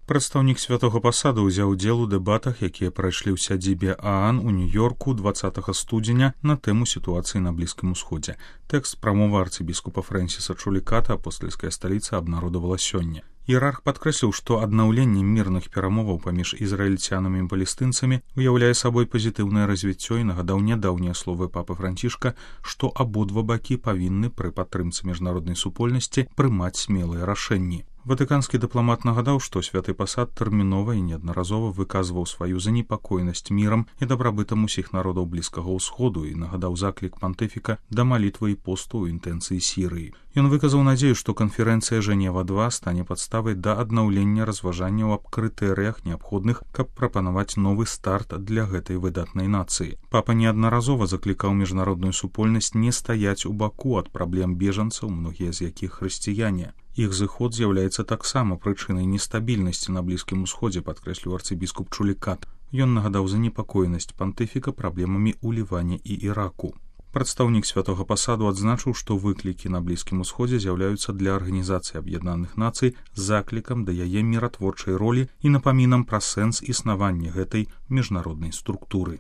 Прадстаўнік святога пасада ўзяў удзел у дэбатах, якія прайшлі ў сядзібе ААН у Нью-Йорку 20 студзеня на тэму сітуацыі на Блізкім Усходзе. Тэкст прамовы арцыбіскупа Фрэнсіса Чуліката апостальская сталіца абнародавала сёння. Іерарх падкрэсліў, што аднаўленне мірных перамоваў паміж ізраільцянамі і палестынцамі уяўляе сабой пазітыўнае развіццё і нагадаў нядаўнія словы папы Францішка, што абодва бакі павінны пры падтрымцы міжнароднай супольнасці прымаць смелыя рашэнні. Ватыканскі дыпламат нагадаў, што святы пасад тэрмінова і неаднаразова выказваў сваю занепакоенасць мірам і дабрабытам усіх народаў Блізкага ўсходу і нагадаў заклік пантыфіка да малітвы і посту ў інтэнцыі Сірыі. Ён выказаў надзею, што канферэнцыя Жэнева-2 стане падставай да аднаўлення разважанняў аб крытэрыях неабходных, каб прапанаваць новы старт для гэтай выдатнай нацыі. Папа неаднаразова заклікаў міжнародную супольнасць не стаяць у баку ад праблем бежанцаў, многія з якіх хрысціяне. Іх зыход з'яўляецца таксама прычынай нестабільнасці на Блізкім Усходзе, падкрэсліў арцыбіскуп Чулікат. Ён нагадаў занепакоенасць пантыфіка праблемамі ў Ліване і Іраку. Прадстаўнік святога пасаду адзначыў, што выклікі на Блізкім Усходзе з'яўляюцца для Арганізацыі Аб'яднаных Нацый заклікам да яе міратворчай ролі і напамінам пра сэнс існавання гэтай міжнароднай структуры.